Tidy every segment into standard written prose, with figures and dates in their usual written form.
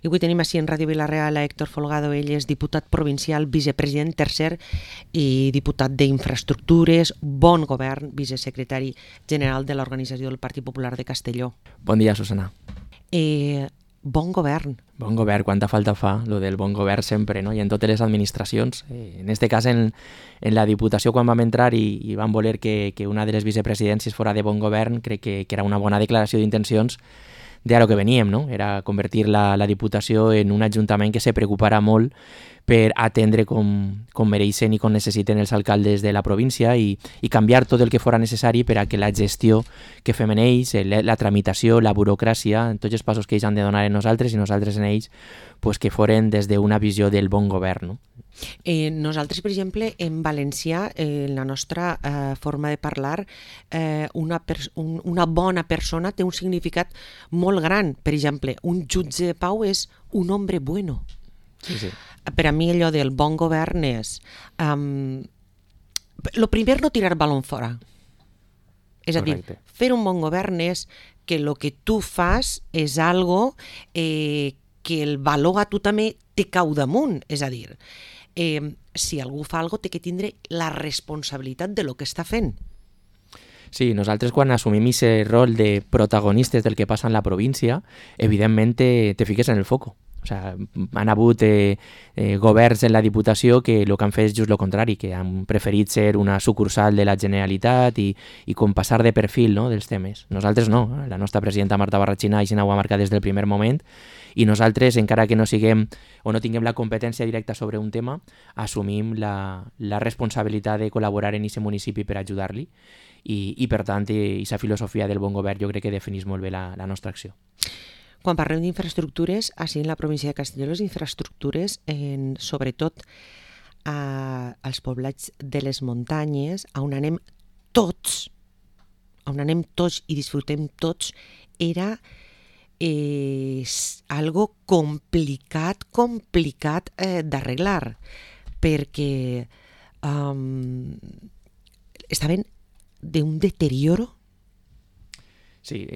I avui tenim així en Ràdio Vila-real a Héctor Folgado. Ell és diputat provincial, vicepresident tercer i diputat d'Infraestructures, Bon Govern, vicesecretari general de l'Organització del Partit Popular de Castelló. Bon dia, Susana. Bon govern. Bon govern, quanta falta fa, lo del bon govern sempre, no? I en totes les administracions. En este cas, en la Diputació, quan vam entrar i vam voler que una de les vicepresidències fora de bon govern, crec que era una bona declaració d'intencions de a lo que veníem, no? Era convertir la Diputació en un ajuntament que se preocuparà molt per atendre com mereixen i com necessiten els alcaldes de la província i canviar tot el que fora necessari per a que la gestió que fem en ells, la tramitació, la burocràcia, en tots els passos que ells han de donar en nosaltres i nosaltres en ells, pues que foren des d'una visió del bon govern, no? Nosaltres, per exemple, en valencià, en la nostra forma de parlar, una bona persona té un significat molt gran. Per exemple, un jutge de pau és un hombre bueno. Sí, sí. Per a mi allò del bon govern és lo primer, no tirar balón fora. És a dir, fer un bon govern és que el que tu fas és algo que el valor a tu també te cau damunt. És a dir, si algú fa alguna cosa té que tindre la responsabilitat de lo que està fent. Sí, nosaltres quan assumim aquest rol de protagonistes del que passa en la província, evidentment te fiques en el foco. O sea, han hagut governs en la Diputació que el que han fet és just el contrari, que han preferit ser una sucursal de la Generalitat i com passar de perfil, no?, dels temes. Nosaltres no. La nostra presidenta Marta Barrachina així ho ha marcat des del primer moment i nosaltres, encara que no siguem o no tinguem la competència directa sobre un tema, assumim la responsabilitat de col·laborar en aquest municipi per ajudar-li i per tant, aquesta filosofia del bon govern jo crec que defineix molt bé la nostra acció. Quan parlem d'infraestructures, així en la província de Castelló, les infraestructures, sobretot als poblats de les muntanyes, on anem tots i disfrutem tots, era algo complicat d'arreglar, perquè estaven d'un deterioro. Sí,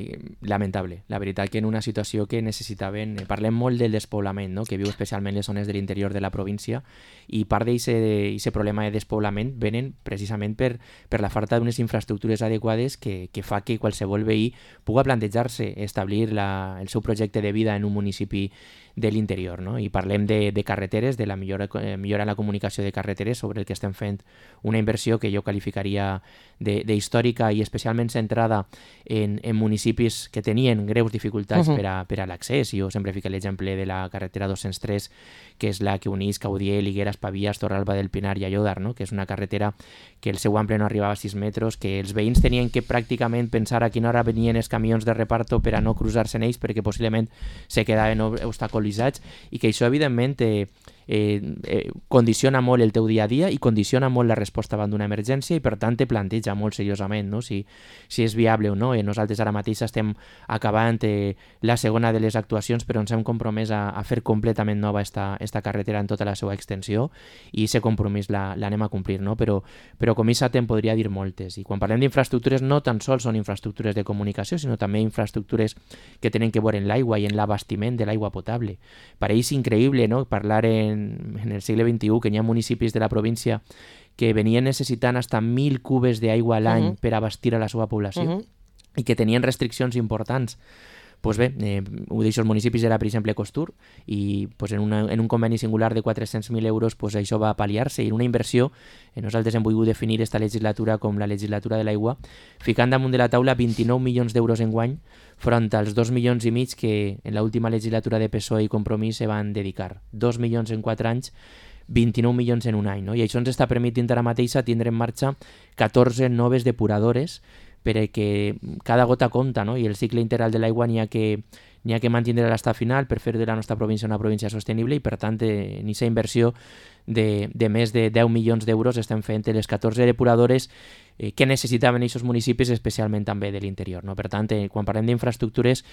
lamentable. La veritat que en una situació que necessitaven... Parlem molt del despoblament, no?, que viu especialment les zones de l'interior de la província, i part d'aquest problema de despoblament venen precisament per la falta d'unes infraestructures adequades que fa que qualsevol veí pugui plantejar-se establir el seu projecte de vida en un municipi de l'interior, no? I parlem de carreteres, de la millora en la comunicació de carreteres, sobre el que estem fent una inversió que jo qualificaria d'històrica i especialment centrada en municipis que tenien greus dificultats per a l'accés. Jo sempre fico l'exemple de la carretera 203, que és la que uneix Caudiel, Higueres, Pavies, Torralba del Pinar i Allòdar, no?, que és una carretera que el seu ample no arribava a 6 metres, que els veïns tenien que pràcticament pensar a quina hora venien els camions de reparto per a no cruzar-se en ells, perquè possiblement se quedaven obstaculitzats, i que això evidentment condiciona molt el teu dia a dia i condiciona molt la resposta davant d'una emergència i per tant te planteja molt seriosament, no?, si és viable o no. Nosaltres ara mateix estem acabant la segona de les actuacions, però ens hem compromès a fer completament nova esta carretera en tota la seva extensió, i aquest compromís l'anem a complir, no? Però com això te'n podria dir moltes. I quan parlem d'infraestructures no tan sols són infraestructures de comunicació, sinó també infraestructures que tenen que veure en l'aigua i en l'abastiment de l'aigua potable. Pareix increïble, no?, parlar en el segle XXI que hi ha municipis de la província que venien necessitant fins a 1.000 cubes d'aigua a l'any per abastir a la seva població i que tenien restriccions importants. Pues bé, un d'aquests municipis era, per exemple, Costur, i pues, en un conveni singular de 400.000 euros pues, això va pal·liar-se, i una inversió, nosaltres hem volgut definir esta legislatura com la legislatura de l'aigua, ficant damunt de la taula 29 milions d'euros enguany, front als 2,5 milions que en l'última legislatura de PSOE i Compromís se van dedicar. 2 milions en 4 anys, 29 milions en un any, no? I això ens està permetint ara mateix tindre en marxa 14 noves depuradores, perquè cada gota compta, no? I el cicle integral de l'aigua n'hi ha que mantenir l'estat final per fer de la nostra província una província sostenible, i per tant en aquesta inversió de més de 10 milions d'euros estem fent les 14 depuradores que necessitaven aquests municipis, especialment també de l'interior, no? Per tant, quan parlem d'infraestructures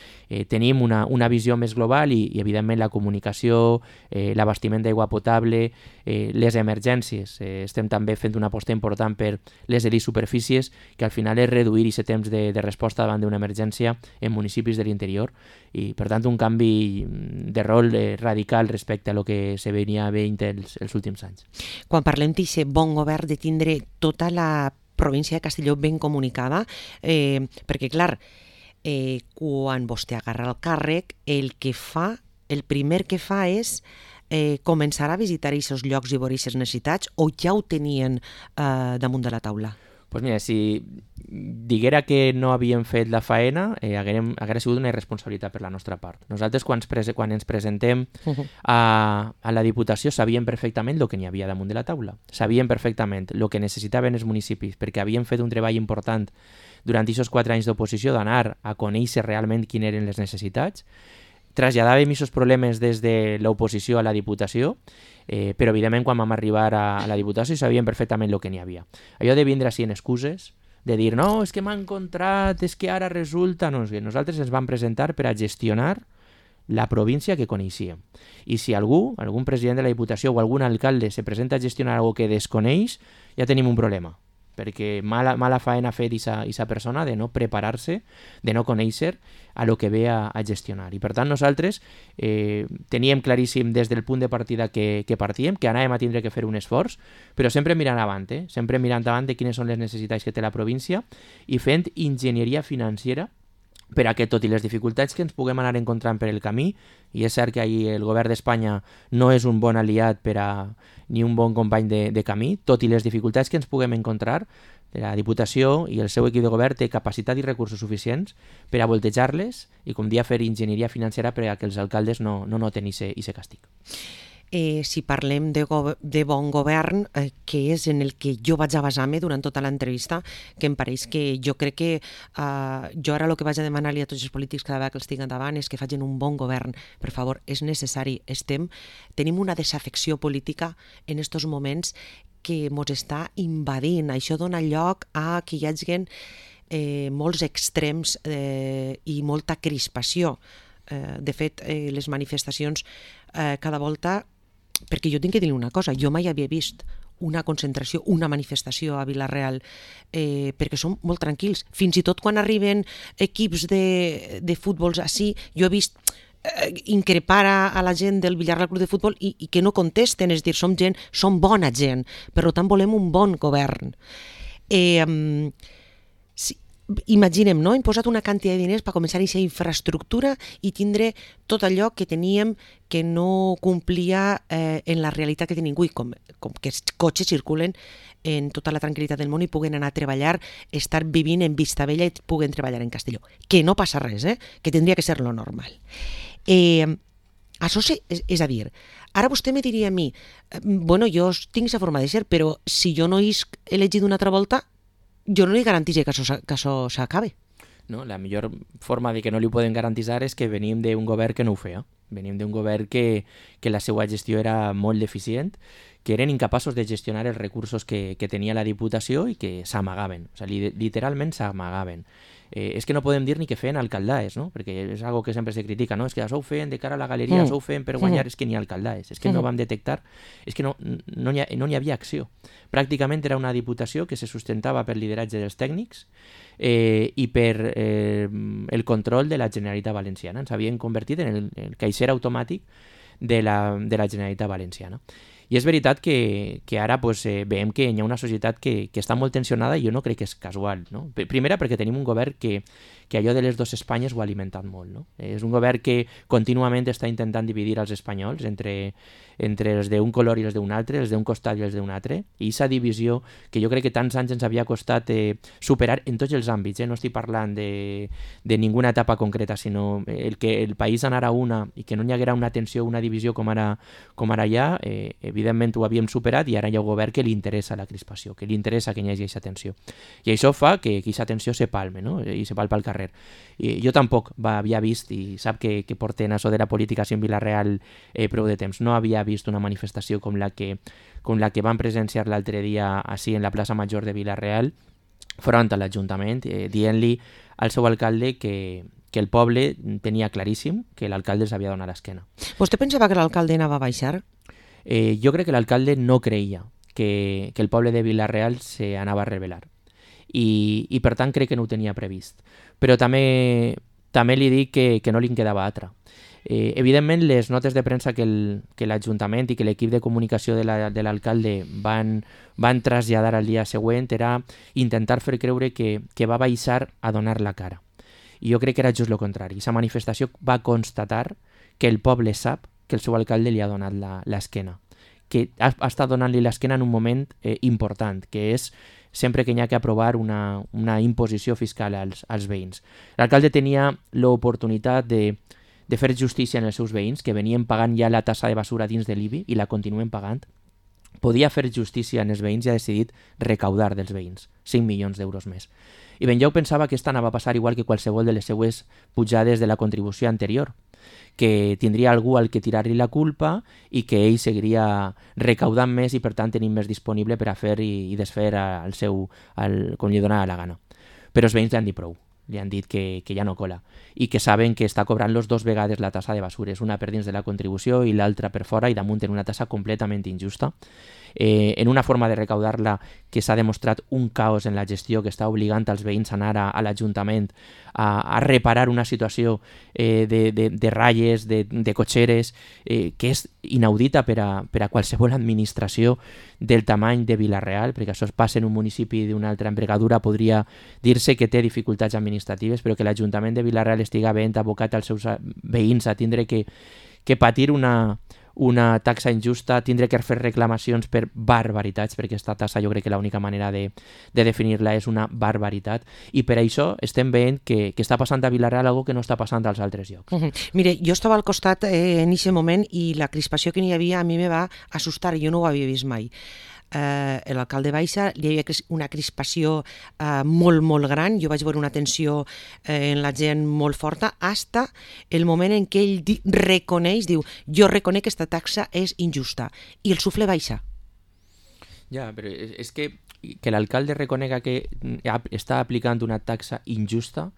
tenim una visió més global i evidentment la comunicació, l'abastiment d'aigua potable, les emergències. Estem també fent una aposta important per les superfícies, que al final és reduir aquest temps de resposta davant d'una emergència en municipis de l'interior, i per tant un canvi de rol radical respecte a lo que se venia veient els últims anys. Quan parlem d'aquest bon govern, de tindre tota la província de Castelló ben comunicada, perquè clar, quan vostè agarra el càrrec, el primer que fa és començar a visitar aquests llocs i veure aquestes necessitats, o ja ho tenien damunt de la taula? Pues mira, si diguera que no havíem fet la faena, haguera sigut una irresponsabilitat per la nostra part. Nosaltres, quan ens presentem a la Diputació, sabíem perfectament el que n'hi havia damunt de la taula. Sabíem perfectament el que necessitaven els municipis, perquè havíem fet un treball important durant aquests 4 anys d'oposició d'anar a conèixer realment quines eren les necessitats. Traslladàvem aquests problemes des de l'oposició a la Diputació, però evidentment quan vam arribar a la Diputació sabíem perfectament el que n'hi havia. Allò de vindre així en excuses, de dir no, és que m'ha encontrat, és que ara resulta... No, és que nosaltres ens vam presentar per a gestionar la província que coneixíem. I si algun president de la Diputació o algun alcalde se presenta a gestionar algo que desconeix, ja tenim un problema, perquè mala faena ha fet aquesta persona de no preparar-se, de no conèixer a lo que ve a gestionar. I per tant nosaltres teníem claríssim des del punt de partida que partíem, que anàvem a tindre que fer un esforç, però sempre mirant avant, sempre mirant avant de quines són les necessitats que té la província i fent enginyeria financera per a que, tot i les dificultats que ens puguem anar encontrant per el camí, i és cert que ahir el govern d'Espanya no és un bon aliat ni un bon company de camí, tot i les dificultats que ens puguem encontrar, la Diputació i el seu equip de govern té capacitat i recursos suficients per a voltejar-les i, com dia, fer enginyeria financera per a que els alcaldes no noten aquest càstig. Si parlem de bon govern, que és en el que jo vaig a basar-me durant tota l'entrevista, que em pareix que jo crec que jo ara el que vaig a demanar-li a tots els polítics cada vegada que els tinc endavant és que facin un bon govern. Per favor, és necessari. Tenim una desafecció política en aquests moments que ens està invadint. Això dona lloc a que hi hagi molts extrems i molta crispació. De fet, les manifestacions cada volta... Perquè jo tinc que dir una cosa, jo mai havia vist una concentració, una manifestació a Vila-real, perquè són molt tranquils. Fins i tot quan arriben equips de futbols així, jo he vist increpar a la gent del Villarreal Club de Futbol i que no contesten, és dir, som bona gent, per tant volem un bon govern. Imaginem, no? Hem posat una quantitat de diners per començar a aquesta infraestructura i tindre tot allò que teníem que no complia en la realitat que tenim avui, com que els cotxes circulen en tota la tranquil·litat del món i puguen anar a treballar, estar vivint en Vistabella i puguen treballar en Castelló. Que no passa res, que tindria que ser lo normal. Això és a dir, ara vostè me diria a mi, bueno, jo tinc aquesta forma de ser, però si jo no he elegit una altra volta, jo no li garanteixo que això s'acabe. No, la millor forma de que no li podem garantitzar és que venim d'un govern que no ho feia. Venim d'un govern que la seva gestió era molt deficient, que eren incapaços de gestionar els recursos que tenia la Diputació i que s'amagaven, o sigui, literalment s'amagaven. És que no podem dir ni que feien alcaldaes, no? Perquè és algo que sempre se critica, no? És que això ho feien de cara a la galeria, això ho feien per guanyar, és que ni alcaldaes, és que no vam detectar, és que no hi havia acció. Pràcticament era una Diputació que se sustentava per lideratge dels tècnics i per el control de la Generalitat Valenciana. Ens havien convertit en el caixer automàtic de la Generalitat Valenciana. I és veritat que ara veiem que hi ha una societat que està molt tensionada i jo no crec que és casual. No? Primera, perquè tenim un govern que allò de les dues Espanyes ho ha alimentat molt. No? És un govern que contínuament està intentant dividir els espanyols entre els d'un color i els d'un altre, els d'un costat i els d'un altre, i aquesta divisió que jo crec que tants anys ens havia costat superar en tots els àmbits. No estic parlant de ninguna etapa concreta, sinó el que el país anara una i que no hi haguera una tensió, una divisió com ara hi ha, evidentment ho havíem superat i ara hi ha un govern que li interessa la crispació, que li interessa que hi hagi aquesta tensió. I això fa que aquesta tensió se palme, no? I se palpa al carrer. I jo tampoc havia vist, i sap que porten això de la política en Vila-real prou de temps, no havia vist una manifestació com la que van presenciar l'altre dia així en la plaça Major de Vila-real front a l'Ajuntament, dient-li al seu alcalde que el poble tenia claríssim que l'alcalde s'havia donat l'esquena. Vostè pensava que l'alcalde anava a baixar? Jo crec que l'alcalde no creia que el poble de Vila-real s'anava a rebel·lar i per tant crec que no ho tenia previst. Però també també li dic que no li en quedava altra. Evidentment, les notes de premsa que l'Ajuntament i que l'equip de comunicació de l'alcalde van traslladar al dia següent era intentar fer creure que va baixar a donar la cara. I jo crec que era just el contrari. Aquesta manifestació va constatar que el poble sap que el seu alcalde li ha donat l'esquena, que ha estat donant-li l'esquena en un moment important, que és sempre que hi ha que aprovar una imposició fiscal als veïns. L'alcalde tenia l'oportunitat de fer justícia en els seus veïns, que venien pagant ja la tassa de basura dins de l'IBI i la continuen pagant. Podia fer justícia en els veïns i ha decidit recaudar dels veïns 5 milions d'euros més. I Benlloc pensava que esta anava a passar igual que qualsevol de les seues pujades de la contribució anterior, que tindria algú al que tirar-li la culpa i que ell seguiria recaudant més i per tant tenint més disponible per a fer i desfer com li donava la gana. Però els veïns li han dit prou. Li han dit que ja no cola i que saben que està cobrant-los 2 vegades la tassa de basures, una per dins de la contribució i l'altra per fora i damunt en una tassa completament injusta. En una forma de recaudar-la que s'ha demostrat un caos en la gestió que està obligant als veïns a anar a l'Ajuntament a reparar una situació de ratlles, de cotxeres, que és inaudita per a qualsevol administració del tamany de Vila-real, perquè això es passa en un municipi d'una altra envergadura, podria dir-se que té dificultats administratives, però que l'Ajuntament de Vila-real estiga ben abocat als seus veïns a tindre que patir una taxa injusta, tindre que fer reclamacions per barbaritats, perquè aquesta taxa jo crec que l'única manera de definir-la és una barbaritat, i per això estem veient que està passant a Vila-real algo que no està passant als altres llocs. Mire, jo estava al costat en aquest moment i la crispació que n'hi havia a mi me va assustar, jo no ho havia vist mai. L'alcalde baixa, hi havia una crispació molt, molt gran, jo vaig veure una tensió en la gent molt forta, hasta el moment en què ell reconeix, diu, jo reconec que aquesta taxa és injusta, i el sufle baixa. Ja, però és que l'alcalde reconega que està aplicant una taxa injusta,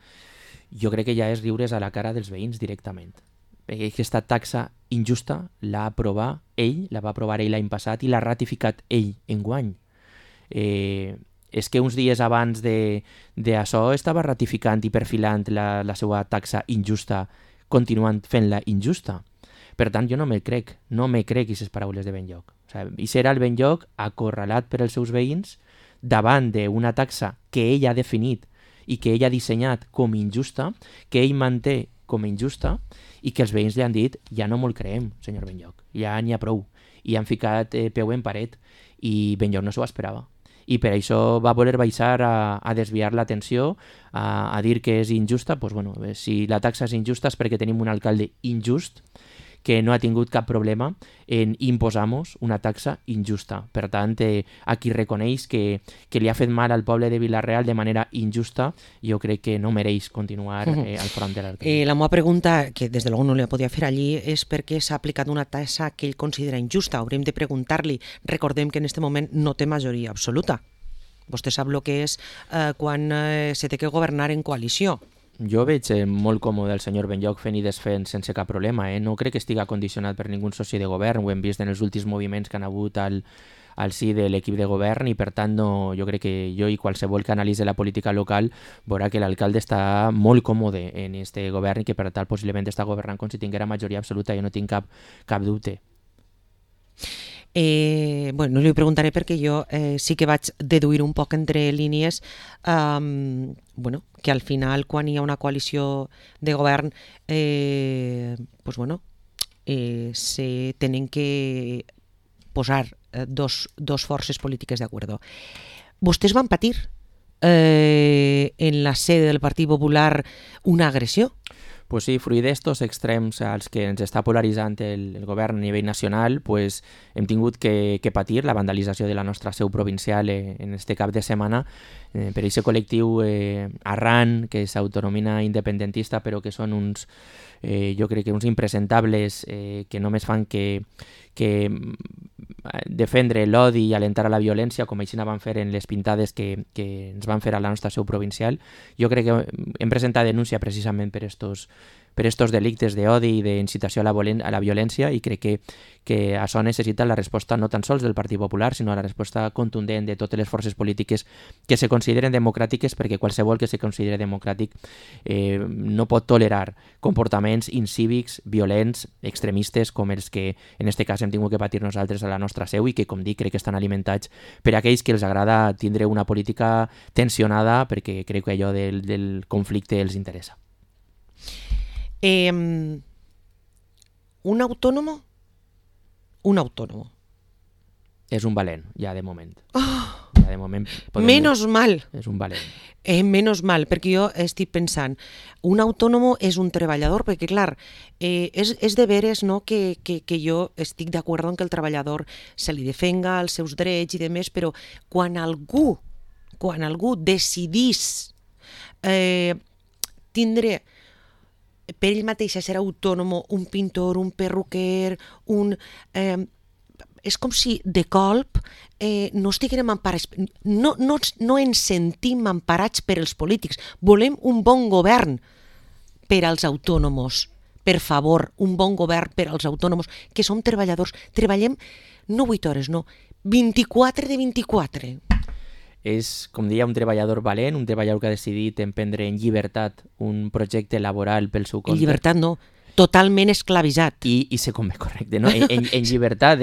jo crec que ja és riure's a la cara dels veïns directament. Aquesta taxa injusta la va aprovar ell l'any passat i l'ha ratificat ell enguany. És que uns dies abans d'això estava ratificant i perfilant la seva taxa injusta, continuant fent-la injusta. Per tant, jo no me crec aquestes paraules de Benlloc. I serà el Benlloc acorralat per els seus veïns davant d'una taxa que ell ha definit i que ell ha dissenyat com injusta, que ell manté com injusta, i que els veïns li han dit, ja no me'l creem, senyor Benlloc, ja n'hi ha prou. I han ficat peu en paret, i Benlloc no s'ho esperava. I per això va voler baixar a desviar l'atenció, a dir que és injusta. Doncs, bueno, si la taxa és injusta és perquè tenim un alcalde injust, que no ha tingut cap problema en imposar-nos una taxa injusta. Per tant, a qui reconeix que li ha fet mal al poble de Vila-real de manera injusta, jo crec que no mereix continuar al front de l'alcalde. La meva pregunta, que des de luego no la podia fer allí, és per què s'ha aplicat una taxa que ell considera injusta. Hauríem de preguntar-li. Recordem que en aquest moment no té majoria absoluta. Vostè sap el que és quan se té que governar en coalició. Jo veig molt còmode el senyor Benlloc fent i desfent sense cap problema. No crec que estigui condicionat per ningú soci de govern. Ho hem vist en els últims moviments que han hagut al si de l'equip de govern i per tant jo crec que jo i qualsevol que analitzi la política local veurà que l'alcalde està molt còmode en este govern i que per tant possiblement està governant com si tinguera majoria absoluta. Jo no tinc cap dubte. No li preguntaré perquè jo sí que vaig deduir un poc entre línies que al final quan hi ha una coalició de govern se tenen que posar dos forces polítiques d'acord. Vostès van patir en la sede del Partit Popular una agressió? Pues sí, fruit d'estos extrems als que ens està polaritzant el govern a nivell nacional, pues hem tingut que patir la vandalització de la nostra seu provincial en este cap de setmana per aquest col·lectiu Arran, que s'autonomina independentista, però que són uns, jo crec que uns impresentables que només fan que defendre l'odi i alentar a la violència, com així van fer en les pintades que ens van fer a la nostra seu provincial. Jo crec que hem presentat denúncia precisament per per estos delictes d'odi i d'incitació a la violència, i crec que això necessita la resposta no tan sols del Partit Popular, sinó la resposta contundent de totes les forces polítiques que se consideren democràtiques, perquè qualsevol que se consideri democràtic no pot tolerar comportaments incívics, violents, extremistes, com els que en aquest cas hem tingut que patir nosaltres a la nostra seu i que, com dic, crec que estan alimentats per aquells que els agrada tindre una política tensionada, perquè crec que allò del conflicte els interessa. Un autònomo? Un autònomo. És un valent, ja de moment. Oh, ja de moment menos mal. És un valent. Menos mal, perquè jo estic pensant, un autònomo és un treballador, perquè clar, és de veres, no, que jo estic d'acord en que el treballador se li defenga els seus drets i demés, però quan algú decidís tindre per ell mateix ser autònom, un pintor, un perruquer, és com si de colp no estiguem emparats, no ens sentim emparats per els polítics. Volem un bon govern per als autònoms. Per favor, un bon govern per als autònoms, que som treballadors. Treballem no 8 hores, no, 24 de 24. És, com deia, un treballador valent, un treballador que ha decidit emprendre en llibertat un projecte laboral pel seu compte. En llibertat no, totalment esclavitzat. I se converteix, correcte, no? en llibertat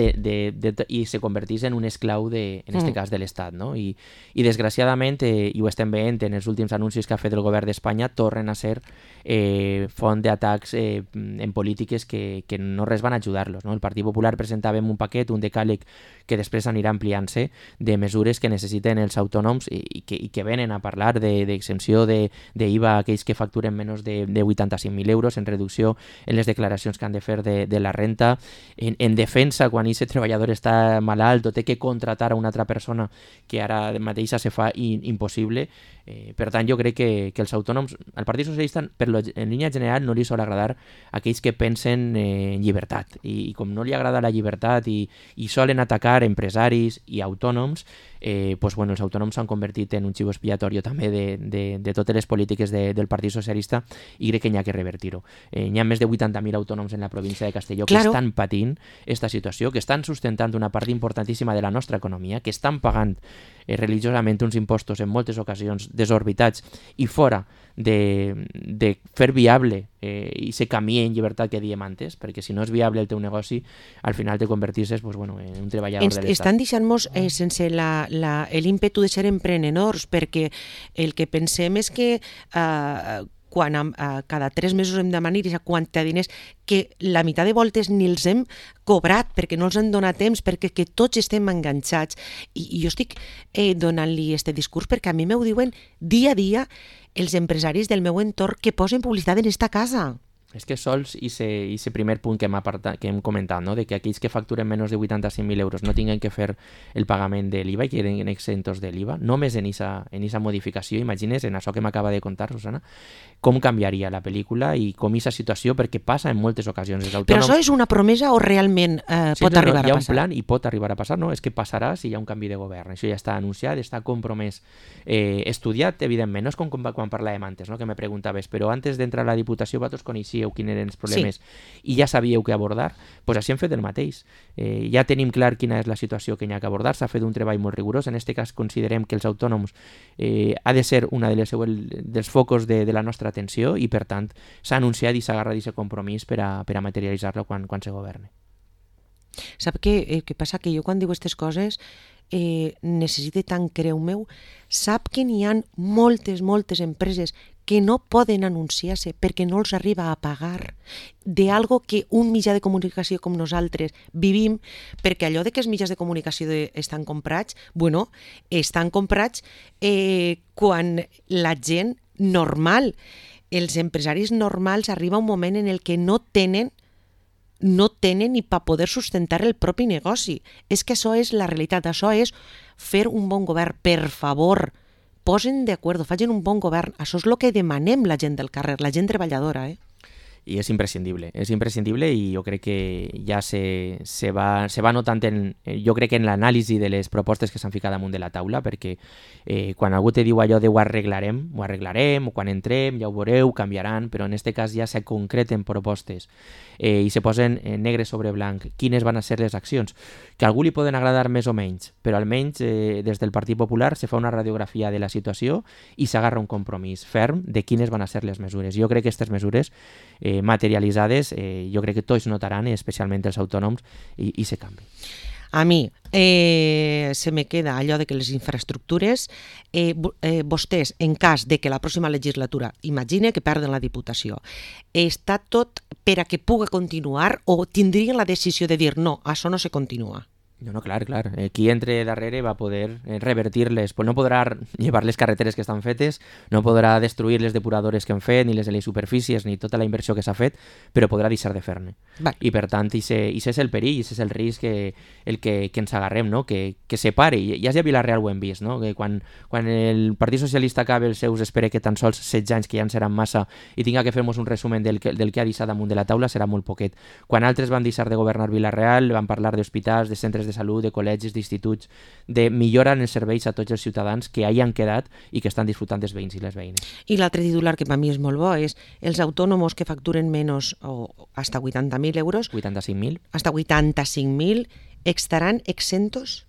i se converteix en un esclau, en aquest cas, de l'Estat. No? I desgraciadament, i ho estem veient en els últims anuncis que ha fet el govern d'Espanya, tornen a ser font d'atacs en polítiques que no res van ajudar-los. No? El Partit Popular presentàvem un paquet, un decàleg, que després anirà ampliant-se, de mesures que necessiten els autònoms i que venen a parlar d'exempció d'IVA a aquells que facturen menys de 85.000 euros, en reducció en les declaracions que han de fer de la renta, en defensa quan aquest treballador està malalt o té que contratar a una altra persona que ara mateixa se fa impossible. Per tant, jo crec que els autònoms, al Partit Socialista, en línia general, no li sol agradar aquells que pensen en llibertat. I com no li agrada la llibertat i solen atacar empresaris i autònoms, els autònoms s'han convertit en un xivo expiatori també de totes les polítiques del Partit Socialista, i crec que n'hi ha que revertir-ho. N'hi ha més de 80.000 autònoms en la província de Castelló que estan patint aquesta situació, que estan sustentant una part importantíssima de la nostra economia, que estan pagant religiosament uns impostos en moltes ocasions desorbitats i fora de fer viable i ser camí en llibertat que diem antes, perquè si no és viable el teu negoci, al final te convertisses en un treballador de l'Estat. Estan deixant-nos sense l'ímpetu de ser emprenedors, perquè el que pensem és que quan cada 3 mesos hem de demanar aquesta quantitat de diners, que la meitat de voltes ni els hem cobrat perquè no els han donat temps, perquè que tots estem enganxats. I jo estic donant-li aquest discurs perquè a mi m'ho diuen dia a dia els empresaris del meu entorn que posen publicitat en esta casa. És que sols aquest primer punt que hem comentat, no? De que aquells que facturen menys de 85.000 euros no tinguin que fer el pagament de l'IVA i queden exentos de l'IVA, només en aquesta modificació, imagines, en això que m'acaba de contar, Susana, com canviaria la pel·lícula i com aquesta situació, perquè passa en moltes ocasions. Però això és una promesa o realment pot arribar a passar? Hi ha un plan i pot arribar a passar, no? És que passarà si hi ha un canvi de govern. Això ja està anunciat, està compromès, estudiat, evidentment. No és com quan parlàvem antes, no? Que me preguntaves, però antes d'entrar a la Diputació vosaltres coneixíeu quins eren els problemes i ja sabíeu què abordar, doncs així hem fet el mateix. Ja tenim clar quina és la situació que hi ha que abordar, s'ha fet un treball molt rigorós. En aquest cas considerem que els autònoms ha de ser una dels focus de la nostra atenció i, per tant, s'ha anunciat i s'ha agarrat aquest compromís per a materialitzar-lo quan se governe. Sap què passa? Que jo quan dic aquestes coses necessite tant creu meu. Sap que n'hi ha moltes empreses que no poden anunciar-se perquè no els arriba a pagar d'algo que un mitjà de comunicació com nosaltres vivim, perquè allò de que els mitjans de comunicació estan comprats, estan comprats quan la gent normal, els empresaris normals, arriba un moment en el que no tenen ni per poder sustentar el propi negoci. És que això és la realitat, això és fer un bon govern. Per favor, posen d'acord, facin un bon govern. Això és el que demanem la gent del carrer, la gent treballadora. i és imprescindible i jo crec que ja se va notant jo crec que en l'anàlisi de les propostes que s'han ficat damunt de la taula, perquè quan algú te diu allò de ho arreglarem, o quan entrem ja ho veureu, canviaran, però en aquest cas ja se concreten propostes i se posen negre sobre blanc quines van a ser les accions, que a algú li poden agradar més o menys, però almenys des del Partit Popular se fa una radiografia de la situació i s'agarra un compromís ferm de quines van a ser les mesures. Jo crec que aquestes mesures materialitzades, jo crec que tots notaran, especialment els autònoms, i se canvi. A mi se me queda allò de que les infraestructures, vostès, en cas de que la pròxima legislatura, imagine que perden la Diputació, està tot per a que pugui continuar o tindrien la decisió de dir no, això no se continua? No, clar. Qui entre darrere va poder revertir-les. Pues no podrà llevar les carreteres que estan fetes, no podrà destruir les depuradores que han fet, ni les de les superfícies, ni tota la inversió que s'ha fet, però podrà deixar de fer-ne. I per tant, i és el perill, i és el risc que ens agarrem, no? Que se pare. Ja a Vila-real ho hem vist, no? Que quan el Partit Socialista acabi els seus, espera que tan sols 16 anys, que ja en seran massa, i tinga que fer-nos un resumen del que ha deixat damunt de la taula, serà molt poquet. Quan altres van deixar de governar Vila-real, van parlar d'hospitals, de centres de salut, de col·legis, d'instituts, de millorar els serveis a tots els ciutadans que hi han quedat i que estan disfrutant dels veïns i les veïnes. I l'altre titular que per mi és molt bo és els autònoms que facturen menys o hasta 80.000 euros, 85.000, hasta 85.000, estaran exentos?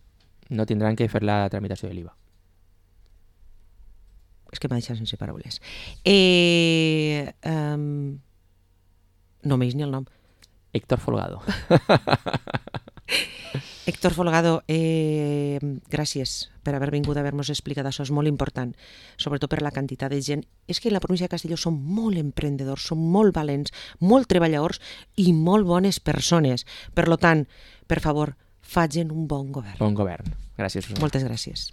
No tindran que fer la tramitació de l'IVA. És que m'ha deixat sense paraules. No m'he ni el nom. Héctor Folgado. Héctor Folgado, gràcies per haver vingut a haver-nos explicat això, és molt important, sobretot per la quantitat de gent. És que en la província de Castelló són molt emprendedors, són molt valents, molt treballadors i molt bones persones. Per tant, per favor, facin un bon govern. Bon govern. Gràcies, Susana. Moltes gràcies.